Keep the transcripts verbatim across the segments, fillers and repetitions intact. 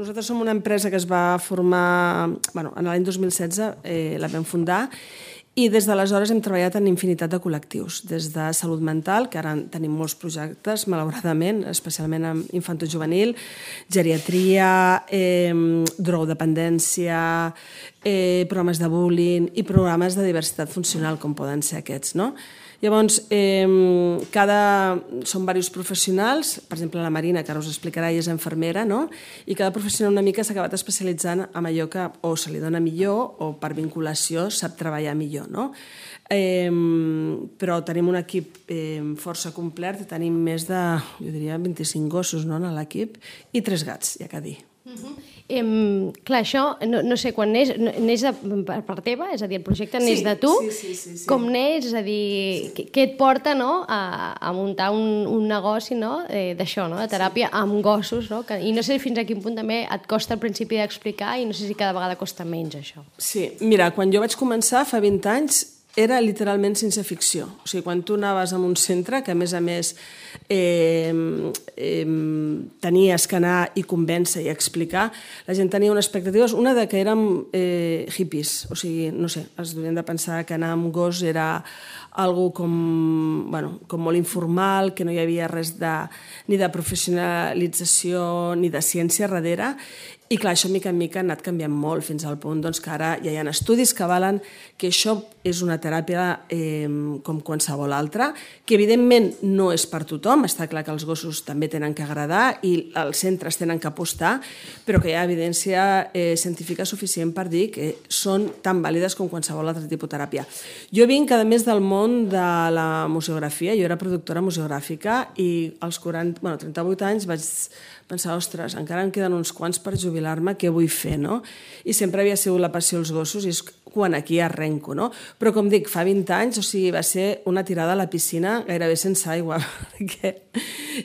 nosaltres som una empresa que es va formar, bueno, en l'any dos mil setze eh, la vam fundar, i des d'aleshores hem treballat en infinitat de col·lectius, des de salut mental, que ara tenim molts projectes, malauradament, especialment en infantojuvenil, geriatria, eh, drogodependència, eh, programes de bullying i programes de diversitat funcional, com poden ser aquests, no? Llavors, eh, cada... són diversos professionals, per exemple la Marina, que ara us explicarà, ella és infermera, no? I cada professional una mica s'ha acabat especialitzant en allò que o se li dona millor o per vinculació sap treballar millor, no? Eh, però tenim un equip eh, força complet, tenim més de, jo diria, vint-i-cinc gossos, no?, en l'equip, i tres gats, ja que dir. Uh-huh. Eh, clar, això, no, no sé, quan neix, neix de, per, per teva, és a dir, el projecte neix sí, de tu, sí, sí, sí, sí. com neix, és a dir, sí. què et porta, no?, a, a muntar un, un negoci, no?, eh, d'això, no?, de teràpia sí. amb gossos, no?, que, i no sé fins a quin punt també et costa al principi d'explicar i no sé si cada vegada costa menys, això. Sí, mira, quan jo vaig començar fa vint anys era literalment sense ficció. O sigui, quan tu anaves a un centre, que a més a més eh, eh, tenies que anar i convèncer i explicar, la gent tenia unes expectatives, una de que érem eh, hippies, o sigui, no sé, es devien de pensar que anar amb gos era algo com, bueno, com molt informal, que no hi havia res de, ni de professionalització ni de ciència darrere. I clar, això mica en mica ha anat canviant molt fins al punt doncs, que ara ja hi ha estudis que avalen que això és una teràpia eh, com qualsevol altra, que evidentment no és per tothom, està clar que els gossos també tenen que agradar i els centres tenen que apostar, però que hi ha evidència eh, científica suficient per dir que són tan vàlides com qualsevol altre tipus de teràpia. Jo vinc, a més del món de la museografia, jo era productora museogràfica i als quaranta, bueno, trenta-vuit anys vaig pensar, ostres, encara em queden uns quants per jubilar-me, què vull fer, no? I sempre havia sigut la passió als gossos i és quan aquí arrenco, no? Però com dic, fa vint anys, o sigui, va ser una tirada a la piscina gairebé sense aigua, perquè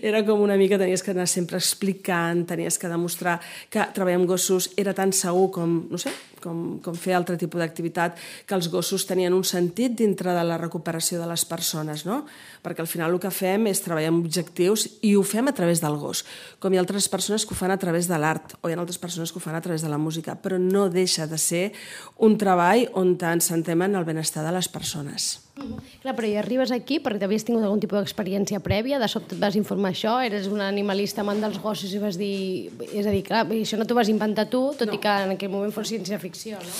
era com una mica, tenies que anar sempre explicant, tenies que demostrar que treballar amb gossos era tan segur com, no sé, com, com fer altre tipus d'activitat, que els gossos tenien un sentit dintre de la recuperació de les persones, no? Perquè al final el que fem és treballar amb objectius i ho fem a través del gos, com hi ha altres persones que ho fan a través de l'art o hi ha altres persones que ho fan a través de la música, però no deixa de ser un treball on ens centrem en el benestar de les persones. Uh-huh. Clar, però hi arribes aquí perquè havies tingut algun tipus d'experiència prèvia, de sobte et vas informar això, eres un animalista amant dels gossos i vas dir... És a dir, clar, això no t'ho vas inventar tu, tot no. i que en aquell moment fos ciència-ficció, no?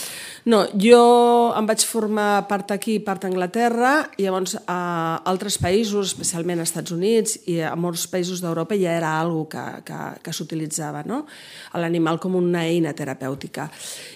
No, jo em vaig formar part aquí i part a Anglaterra, i llavors a altres països, especialment als Estats Units i a molts països d'Europa ja era algo que, que, que s'utilitzava, no? L'animal com una eina terapèutica.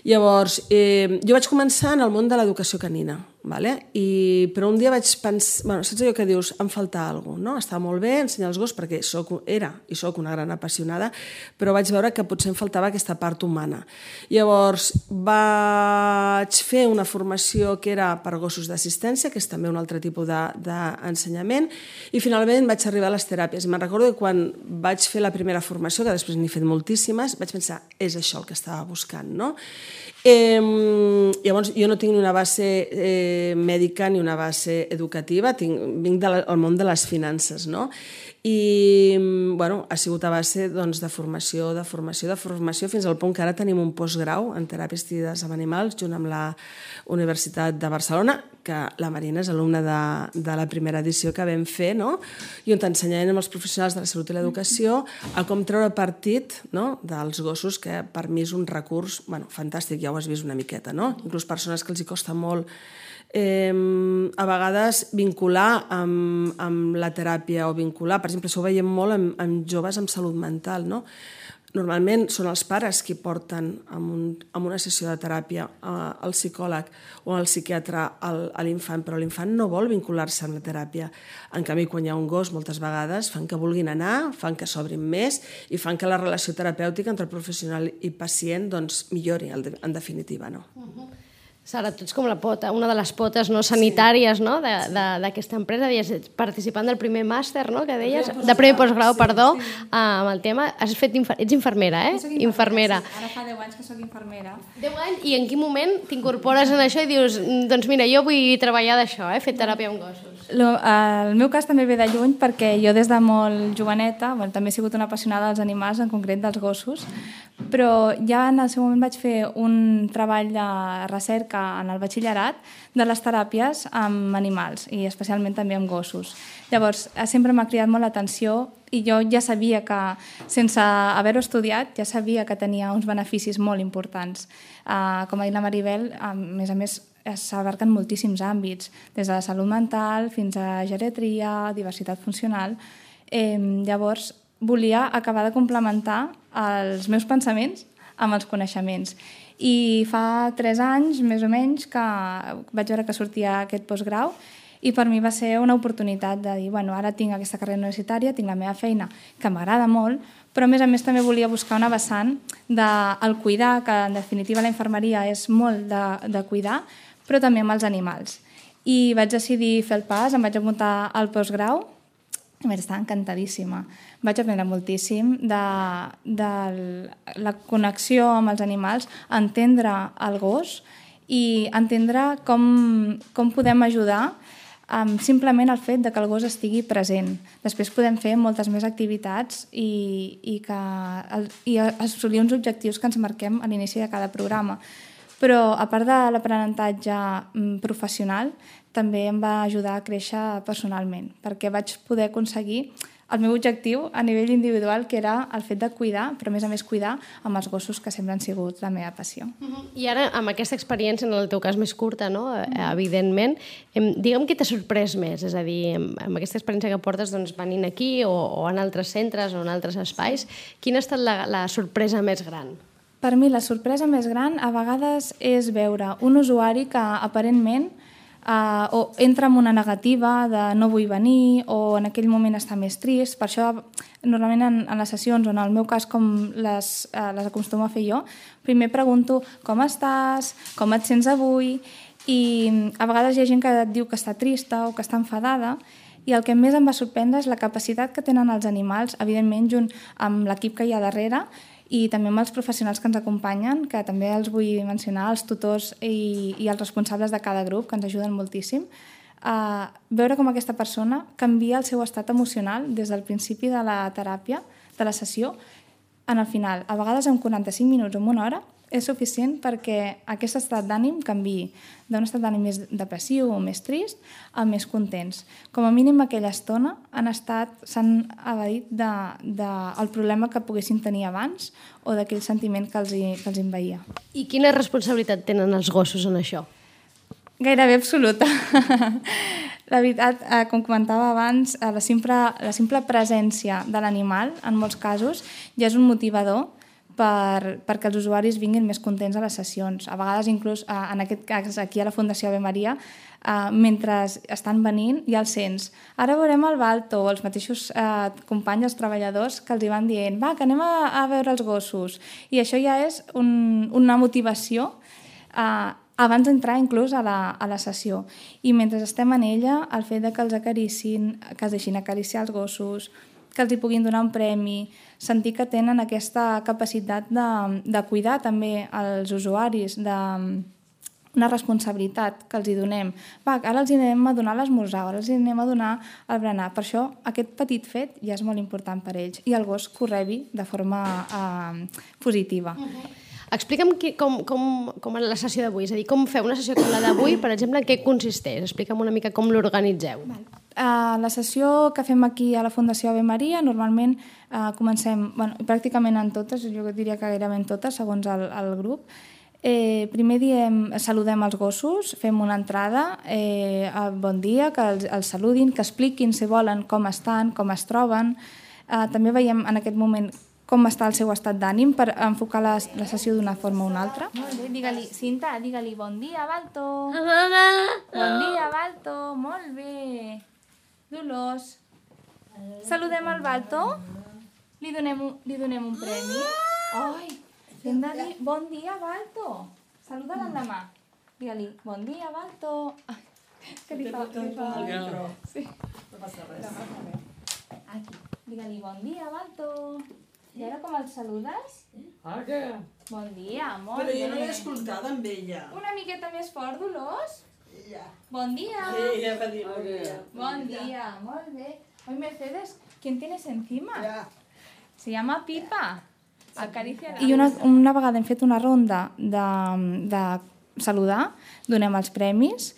Llavors, eh, jo vaig començar en el món de l'educació canina, vale? I, però un dia vaig pensar, bueno, saps allò que dius, em falta alguna cosa, no? Està molt bé ensenyar els gossos perquè soc, era i soc una gran apassionada, però vaig veure que potser em faltava aquesta part humana. Llavors vaig fer una formació que era per gossos d'assistència, que és també un altre tipus d'ensenyament, i finalment vaig arribar a les teràpies. Me'n recordo que quan vaig fer la primera formació, que després n'he fet moltíssimes, vaig pensar, és això el que estava buscant, no? Eh, llavors, jo no tinc ni una base eh, mèdica ni una base educativa, tinc, vinc del món de les finances, no? I bueno, ha sigut a base doncs, de formació, de formació, de formació, fins al punt que ara tenim un postgrau en teràpia assistides amb animals, junt amb la Universitat de Barcelona, que la Marina és alumna de, de la primera edició que vam fer, no? I on t'ensenyem amb els professionals de la salut i l'educació a com treure partit, no?, dels gossos, que per mi és un recurs bueno, fantàstic, ja ho has vist una miqueta, no? Inclús persones que els hi costa molt Eh, a vegades vincular amb, amb la teràpia o vincular, per exemple, això ho veiem molt amb, amb joves amb salut mental, no? Normalment són els pares qui porten en, un, en una sessió de teràpia eh, al psicòleg o al psiquiatre al, a l'infant, però l'infant no vol vincular-se amb la teràpia. En canvi, quan hi ha un gos, moltes vegades fan que vulguin anar, fan que s'obrin més i fan que la relació terapèutica entre el professional i pacient doncs, millori, en definitiva, no? Uh-huh. Sara, tu ets com la pota, una de les potes no, sanitàries no, d'aquesta empresa, deies, participant del primer màster, no, que deies, de primer postgrau, perdó, sí, sí. amb el tema. Has fet infer... Ets infermera, eh? Sí, infermera. Sí. Ara fa deu anys que soc infermera. deu anys? I en quin moment t'incorpores en això i dius, doncs mira, jo vull treballar d'això, eh? Fer teràpia amb gossos? Lo, el meu cas també ve de lluny perquè jo des de molt joveneta, bueno, també he sigut una apassionada dels animals, en concret dels gossos, però ja en el seu moment vaig fer un treball de recerca en el batxillerat de les teràpies amb animals i especialment també amb gossos. Llavors, sempre m'ha cridat molt l'atenció i jo ja sabia que, sense haver-ho estudiat, ja sabia que tenia uns beneficis molt importants. Uh, com ha dit la Maribel, a més a més, s'abarquen moltíssims àmbits, des de la salut mental fins a geriatria, diversitat funcional. Eh, llavors, volia acabar de complementar els meus pensaments amb els coneixements. I fa tres anys, més o menys, que vaig veure que sortia aquest postgrau i per mi va ser una oportunitat de dir, bueno, ara tinc aquesta carrera universitària, tinc la meva feina, que m'agrada molt, però a més a més també volia buscar una vessant del cuidar, que en definitiva la infermeria és molt de, de cuidar, però també amb els animals. I vaig decidir fer el pas, em vaig apuntar al postgrau, a més, estava encantadíssima. Vaig aprendre moltíssim de, de la connexió amb els animals, entendre el gos i entendre com, com podem ajudar amb simplement el fet de que el gos estigui present. Després podem fer moltes més activitats i, i, que, i assolir uns objectius que ens marquem a l'inici de cada programa. Però, a part de l'aprenentatge professional, també em va ajudar a créixer personalment, perquè vaig poder aconseguir el meu objectiu a nivell individual, que era el fet de cuidar, però a més a més cuidar amb els gossos, que sempre han sigut la meva passió. Uh-huh. I ara, amb aquesta experiència, en el teu cas més curta, no? Uh-huh. Evidentment, digue'm què t'ha sorprès més, és a dir, amb aquesta experiència que portes doncs, venint aquí o, o en altres centres o en altres espais, quina ha estat la, la sorpresa més gran? Per mi la sorpresa més gran a vegades és veure un usuari que aparentment Uh, o entra en una negativa de no vull venir o en aquell moment està més trist. Per això, normalment en, en les sessions, o en el meu cas com les, uh, les acostumo a fer jo, primer pregunto com estàs, com et sents avui, i a vegades hi ha gent que et diu que està trista o que està enfadada, i el que més em va sorprendre és la capacitat que tenen els animals, evidentment junt amb l'equip que hi ha darrere, i també amb els professionals que ens acompanyen, que també els vull mencionar, els tutors i, i els responsables de cada grup, que ens ajuden moltíssim, a veure com aquesta persona canvia el seu estat emocional des del principi de la teràpia, de la sessió, en el final. A vegades en quaranta-cinc minuts o en una hora és suficient perquè aquest estat d'ànim canviï d'un estat d'ànim més depressiu o més trist a més contents. Com a mínim aquella estona han estat, s'han evadit del de, de problema que poguessin tenir abans o d'aquell sentiment que els, que els envaïa. I quina responsabilitat tenen els gossos en això? Gairebé absoluta. La veritat, eh, com comentava abans, la simple, la simple presència de l'animal, en molts casos, ja és un motivador per, perquè els usuaris vinguin més contents a les sessions. A vegades, inclús, eh, en aquest cas, aquí a la Fundació Ave Maria, eh, mentre estan venint, ja els sents. Ara veurem el Balto, o els mateixos eh, companys, els treballadors, que els hi van dient, va, que anem a, a veure els gossos. I això ja és un, una motivació eh, abans d'entrar inclús a la, a la sessió. I mentre estem en ella, el fet de que els acaricin, que els deixin acariciar els gossos, que els hi puguin donar un premi, sentir que tenen aquesta capacitat de, de cuidar també els usuaris, de una responsabilitat que els hi donem. Va, ara els hi anem a donar l'esmorzar, ara els hi anem a donar el berenar. Per això aquest petit fet ja és molt important per ells i el gos que ho rebi de forma eh, positiva. Uh-huh. Explica'm qui, com, com, com és la sessió d'avui, és a dir, com feu una sessió com la d'avui, per exemple, en què consisteix? Explica'm una mica com l'organitzeu. Uh, la sessió que fem aquí a la Fundació Ave Maria, normalment uh, comencem, bueno, pràcticament en totes, jo diria que gairebé en totes, segons el, el grup. Eh, primer diem, saludem els gossos, fem una entrada, eh, bon dia, que els, els saludin, que expliquin, si volen, com estan, com es troben. Uh, també veiem en aquest moment com està el seu estat d'ànim per enfocar la, la sessió d'una forma o una altra. Molt bé, digue-li, Cinta, digue-li bon dia, Balto. Bon dia, Balto, molt bé. Dolors, saludem el Balto, li donem un, li donem un premi. Ai, hem de dir bon dia, Balto. Saluda-la amb la mà. Digue-li, bon dia, Balto. Ai, que li fa... Li fa... Sí. No passa res. Aquí, digue-li bon dia, Balto. I ara com el saludes? Ah, què? Bon dia, molt bé. Però jo no l'he escoltada amb ella. Una miqueta més fort, Dolors? Ja. Bon dia. Ella va dir bon dia. Bon dia, molt bé. Hoy, Mercedes, ¿quién tienes encima? Ja. Se llama Pipa. I una, una vegada hem fet una ronda de, de saludar, donem els premis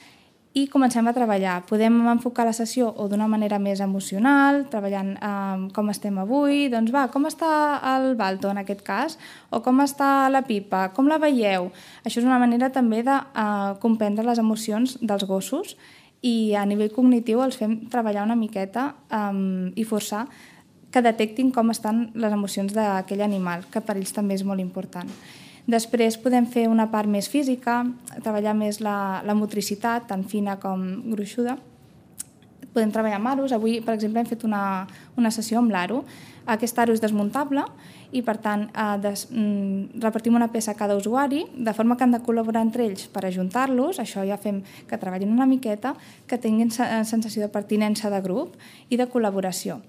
i comencem a treballar. Podem enfocar la sessió o d'una manera més emocional, treballant eh, com estem avui, doncs va, com està el Balto en aquest cas, o com està la Pipa, com la veieu? Això és una manera també de eh, comprendre les emocions dels gossos i a nivell cognitiu els fem treballar una miqueta eh, i forçar que detectin com estan les emocions d'aquell animal, que per ells també és molt important. Després podem fer una part més física, treballar més la, la motricitat, tant fina com gruixuda. Podem treballar amb aros. Avui, per exemple, hem fet una, una sessió amb l'aro. Aquest aro és desmuntable i, per tant, eh, des, mm, repartim una peça a cada usuari, de forma que han de col·laborar entre ells per ajuntar-los. Això ja fem que treballin una miqueta, que tinguin sensació de pertinença de grup i de col·laboració,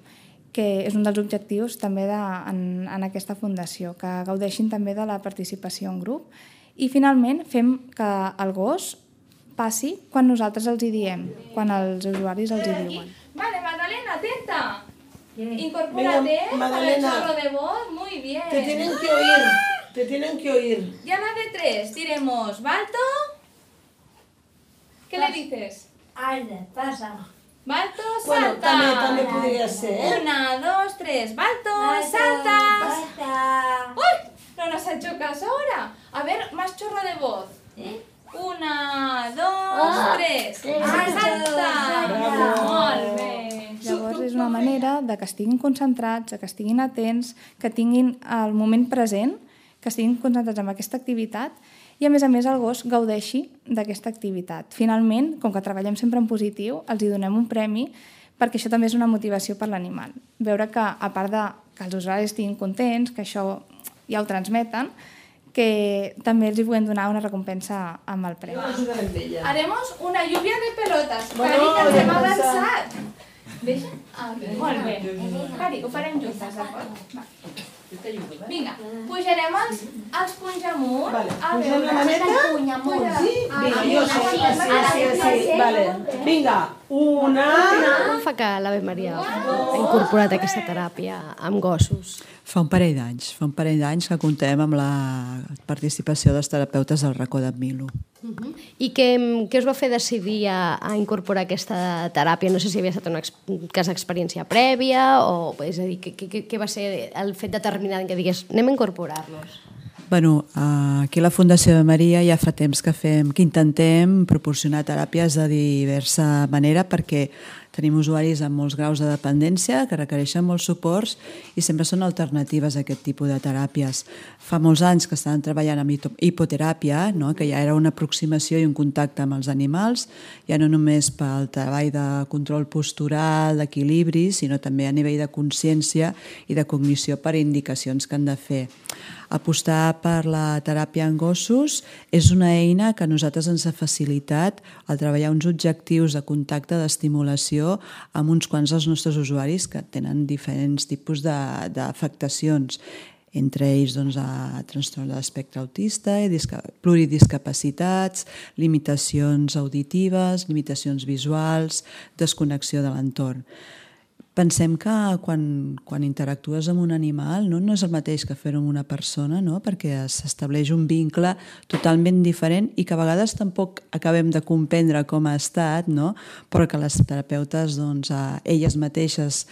que és un dels objectius també de, en, en aquesta fundació, que gaudeixin també de la participació en grup. I finalment fem que el gos passi quan nosaltres els hi diem, quan els usuaris els hi diuen. Vale, Magdalena, atenta. Incorpórate para el chorro de voz. Muy bien. Te tienen que oír, te tienen que oír. Y a la de tres diremos, Balto, ¿qué le dices? Alda, pasa. Balto, Bueno, salta. també, també podria ser, eh? Una, dos, tres. Balto, Balto, salta. salta. ¡Uy! No nos ha hecho caso ahora. A ver, más chorro de voz. ¿Eh? Una, dos, Ah, tres. tres. Salta. Bravo. Molt bé. Llavors és una manera de que estiguin concentrats, que estiguin atents, que tinguin el moment present, que estiguin concentrats en aquesta activitat i, a més a més, el gos gaudeixi d'aquesta activitat. Finalment, com que treballem sempre en positiu, els hi donem un premi perquè això també és una motivació per l'animal. Veure que, a part de que els usuaris estiguin contents, que això ja ho transmeten, que també els hi podem donar una recompensa amb el premi. Haremos una lluvia de pelotas. Bueno, Cari, que ens hem ja avançat. Deixa? Ah, bé. Molt bé. Cari, ho farem juntes, d'acord? Va. Vinga, pujarem els, els punys amunt. Vale, A pugem veure, la maneta. puny amunt. Sí? Vinga, jo sí, sí, sí, sí, sí. Vale. Vinga, una... Com fa que l'Ave Maria ha incorporat aquesta teràpia amb gossos? Fa un parell d'anys, fa un parell d'anys que comptem amb la participació dels terapeutes del racó d'en Milo. Uh-huh. I què, què us va fer decidir a, a incorporar aquesta teràpia? No sé si havia estat una ex, un cas d'experiència prèvia o, és a dir, què, què, què va ser el fet determinant que digués anem a incorporar-los? Bueno, aquí a la Fundació de Maria ja fa temps que fem, que intentem proporcionar teràpies de diversa manera perquè tenim usuaris amb molts graus de dependència que requereixen molts suports i sempre són alternatives a aquest tipus de teràpies. Fa molts anys que estan treballant amb hipoteràpia, no? Que ja era una aproximació i un contacte amb els animals, ja no només pel treball de control postural, d'equilibri, sinó també a nivell de consciència i de cognició per indicacions que han de fer. Apostar per la teràpia en gossos és una eina que a nosaltres ens ha facilitat el treballar uns objectius de contacte, d'estimulació amb uns quants dels nostres usuaris que tenen diferents tipus d'afectacions, entre ells doncs, a trastorn de l'espectre autista, pluridiscapacitats, limitacions auditives, limitacions visuals, desconnexió de l'entorn. Pensem que quan, quan interactues amb un animal no, no és el mateix que fer-ho amb una persona, no? Perquè s'estableix un vincle totalment diferent i que a vegades tampoc acabem de comprendre com ha estat, no? Però que les terapeutes, doncs, elles mateixes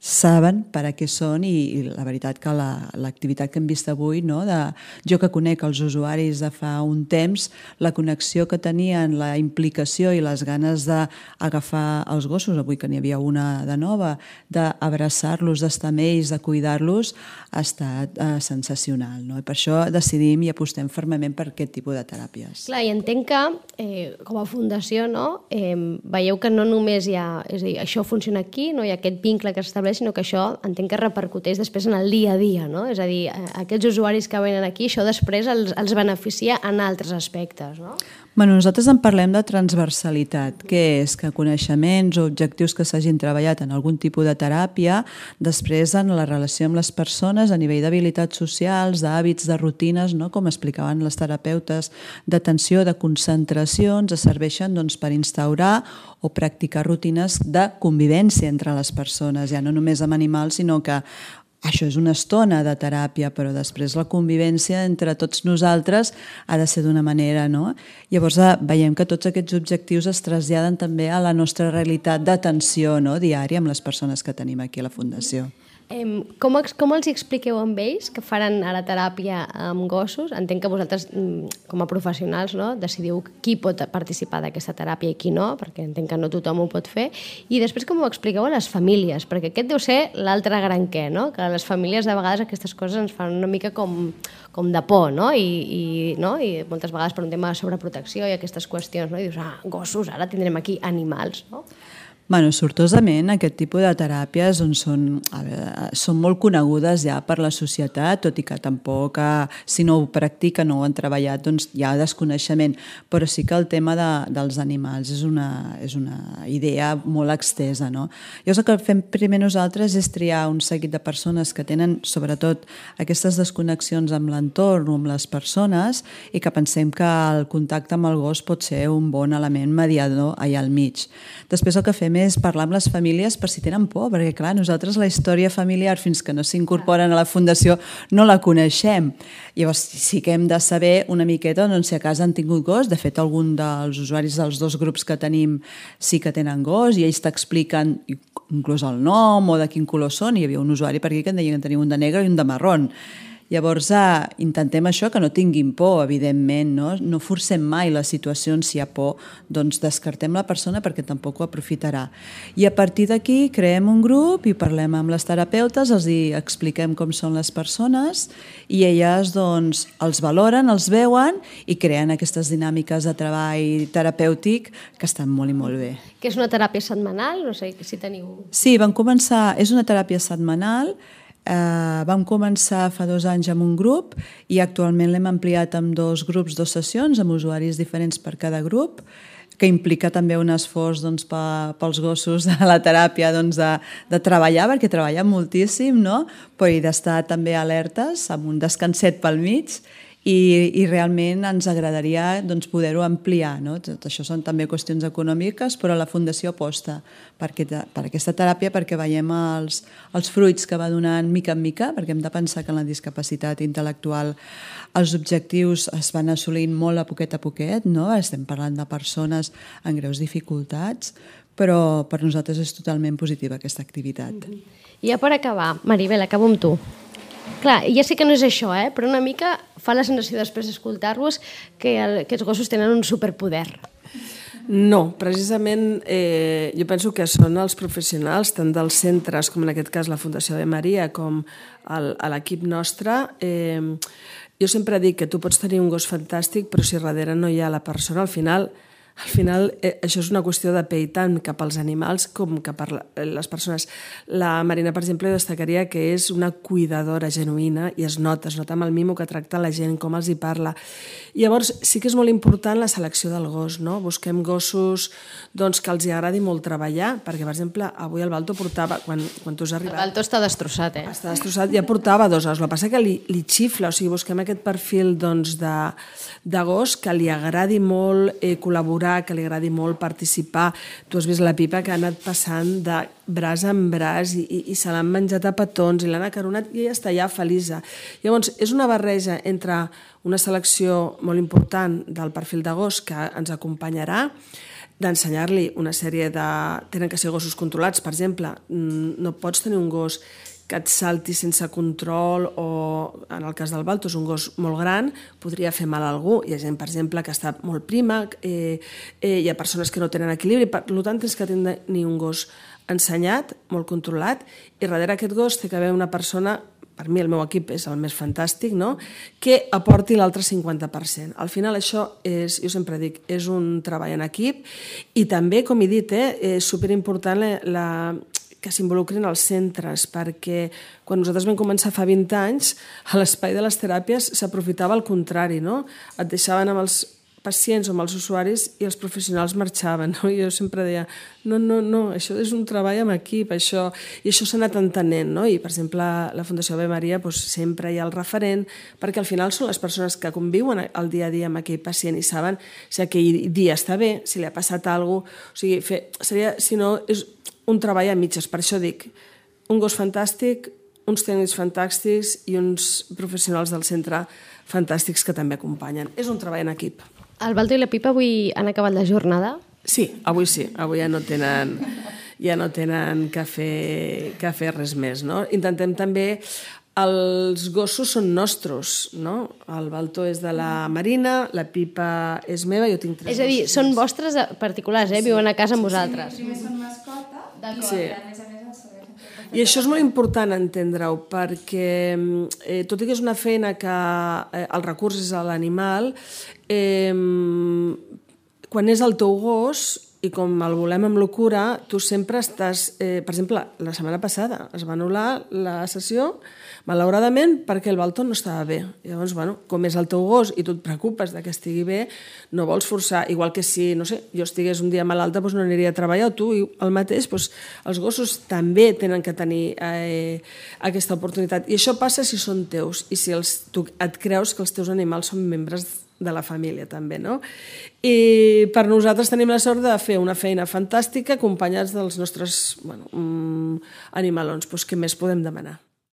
saben per a què són i, i la veritat que l'activitat la, que hem vist avui, no? De, jo que conec els usuaris de fa un temps, la connexió que tenien, la implicació i les ganes d'agafar els gossos, avui que n'hi havia una de nova, d'abraçar-los, d'estar amb ells, de cuidar-los, ha estat eh, sensacional. No? I per això decidim i apostem fermament per aquest tipus de teràpies. Clar, i entenc que eh, com a fundació no, eh, veieu que no només hi ha, és a dir, això funciona aquí, no hi ha aquest vincle que s'estableix, sinó que això entenc que repercuteix després en el dia a dia, no? És a dir, aquests usuaris que venen aquí, això després els, els beneficia en altres aspectes, no? Bueno, nosaltres en parlem de transversalitat, que és que coneixements o objectius que s'hagin treballat en algun tipus de teràpia, després en la relació amb les persones a nivell d'habilitats socials, d'hàbits, de rutines, no? Com explicaven les terapeutes, d'atenció, de concentració, ens serveixen doncs, per instaurar o practicar rutines de convivència entre les persones, ja no només amb animals, sinó que això és una estona de teràpia, però després la convivència entre tots nosaltres ha de ser d'una manera, no? Llavors veiem que tots aquests objectius es traslladen també a la nostra realitat d'atenció, no?, diària amb les persones que tenim aquí a la Fundació. Eh, com, com els expliqueu amb ells que faran ara teràpia amb gossos? Entenc que vosaltres, com a professionals, no, decidiu qui pot participar d'aquesta teràpia i qui no, perquè entenc que no tothom ho pot fer. I després com ho expliqueu a les famílies? Perquè aquest deu ser l'altre gran què, no? Que a les famílies de vegades aquestes coses ens fan una mica com, com de por, no? I, i, no? I moltes vegades per un tema de sobreprotecció i aquestes qüestions, no? I dius, ah, gossos, ara tindrem aquí animals, no? Bueno, sortosament aquest tipus de teràpies doncs, són, a veure, són molt conegudes ja per la societat, tot i que tampoc, si no ho practiquen o ho han treballat, doncs hi ha desconeixement, però sí que el tema de, dels animals és una, és una idea molt extesa, no? Llavors el que fem primer nosaltres és triar un seguit de persones que tenen sobretot aquestes desconnexions amb l'entorn o amb les persones i que pensem que el contacte amb el gos pot ser un bon element mediador allà al mig. Després el que fem és parlar amb les famílies per si tenen por, perquè clar, nosaltres la història familiar fins que no s'incorporen a la Fundació no la coneixem. Llavors sí que hem de saber una miqueta doncs, si a casa han tingut gos. De fet, algun dels usuaris dels dos grups que tenim sí que tenen gos i ells t'expliquen inclús el nom o de quin color són. Hi havia un usuari per aquí que en deia que tenia un de negre i un de marrón. Llavors, eh, intentem això, que no tinguin por, evidentment, no? No forcem mai les situacions. Si hi ha por, doncs descartem la persona perquè tampoc ho aprofitarà. I a partir d'aquí creem un grup i parlem amb les terapeutes, els hi expliquem com són les persones i elles doncs, els valoren, els veuen i creen aquestes dinàmiques de treball terapèutic que estan molt i molt bé. Que és una teràpia setmanal? No sé si teniu... Sí, vam començar... És una teràpia setmanal. Uh, vam començar fa dos anys amb un grup i actualment l'hem ampliat amb dos grups, dues sessions, amb usuaris diferents per cada grup, que implica també un esforç doncs, pels gossos de la teràpia doncs, de, de treballar, perquè treballen moltíssim, no? Però hi d'estar també alertes, amb un descanset pel mig, i, i realment ens agradaria doncs, poder-ho ampliar. No? Tot això són també qüestions econòmiques, però la Fundació aposta per, aquesta, per aquesta teràpia perquè veiem els, els fruits que va donant mica en mica, perquè hem de pensar que en la discapacitat intel·lectual els objectius es van assolint molt a poquet a poquet, no? Estem parlant de persones amb greus dificultats, però per nosaltres és totalment positiva aquesta activitat. I ja per acabar, Maribel, acabo amb tu. Clar, ja sé que no és això, eh? Però una mica fa la sensació després d'escoltar-vos que, el, que els gossos tenen un superpoder. No, precisament eh, jo penso que són els professionals, tant dels centres, com en aquest cas la Fundació Ave Maria, com el, l'equip nostre. Eh, jo sempre dic que tu pots tenir un gos fantàstic, però si darrere no hi ha la persona, al final... Al final, eh, això és una qüestió de pell tant cap als animals com cap a les persones. La Marina, per exemple, destacaria que és una cuidadora genuïna i es nota, es nota amb el mimo que tracta la gent, com els hi parla. I llavors, sí que és molt important la selecció del gos, no? Busquem gossos doncs, que els hi agradi molt treballar, perquè, per exemple, avui el Balto portava, quan, quan tu has arribat... El Balto està destrossat, eh? Està destrossat, ja portava dos os. El que passa que li, li xifla, o sigui, busquem aquest perfil doncs, de, de gos que li agradi molt eh, col·laborar, que li agradi molt participar. Tu has vist la Pipa que ha anat passant de braç en braç i, i, i se l'han menjat a petons i l'han acaronat i ella està ja feliç. Llavors, és una barreja entre una selecció molt important del perfil de gos que ens acompanyarà, d'ensenyar-li una sèrie de... Tenen que ser gossos controlats, per exemple. No pots tenir un gos que et salti sense control o, en el cas del Balto, és un gos molt gran, podria fer mal a algú. Hi ha gent, per exemple, que està molt prima, eh, eh, hi ha persones que no tenen equilibri, per tant, tens que tenir un gos ensenyat, molt controlat, i darrere aquest gos té que haver una persona, per mi el meu equip és el més fantàstic, no?, que aporti l'altre cinquanta per cent. Al final això és, jo sempre dic, és un treball en equip i també, com he dit, eh, és superimportant la, la que s'involucrin als centres, perquè quan nosaltres vam començar fa vint anys, a l'espai de les teràpies s'aprofitava al contrari, no? Et deixaven amb els pacients o amb els usuaris i els professionals marxaven, no? I jo sempre deia, no, no, no, això és un treball amb equip, això... I això s'ha anat entenent, no? I, per exemple, la Fundació Ave Maria doncs, sempre hi ha el referent, perquè al final són les persones que conviuen el dia a dia amb aquell pacient i saben si aquell dia està bé, si li ha passat alguna cosa... O sigui, fer, seria, si no, és un treball a mitges. Per això dic, un gos fantàstic, uns tècnics fantàstics i uns professionals del centre fantàstics que també acompanyen. És un treball en equip. El Balto i la Pipa avui han acabat la jornada? Sí, avui sí. Avui ja no tenen, ja no tenen que fer, que fer res més, no? Intentem també... Els gossos són nostres, no? El Balto és de la Marina, la Pipa és meva, jo tinc tres És a dir, gossos. són vostres particulars, eh? Viuen a casa amb vosaltres. Primer són mascota, Sí. i a més a més els segueixen. I això és molt important entendre-ho, perquè eh, tot i que és una feina que eh, el recurs és a l'animal, eh, quan és el teu gos i com el volem amb locura, tu sempre estàs... Eh, per exemple, la setmana passada es va anul·lar la sessió, malauradament, perquè el Balto no estava bé. Llavors, bueno, com és el teu gos i tu et preocupes de que estigui bé, no vols forçar. Igual que si, no sé, jo estigués un dia malalta, doncs no aniria a treballar, o tu el mateix, doncs els gossos també tenen que tenir eh, aquesta oportunitat. I això passa si són teus i si els, tu et creus que els teus animals són membres de la família també, no? I per nosaltres tenim la sort de fer una feina fantàstica acompanyats dels nostres bueno, mm, animalons. Doncs què més podem demanar?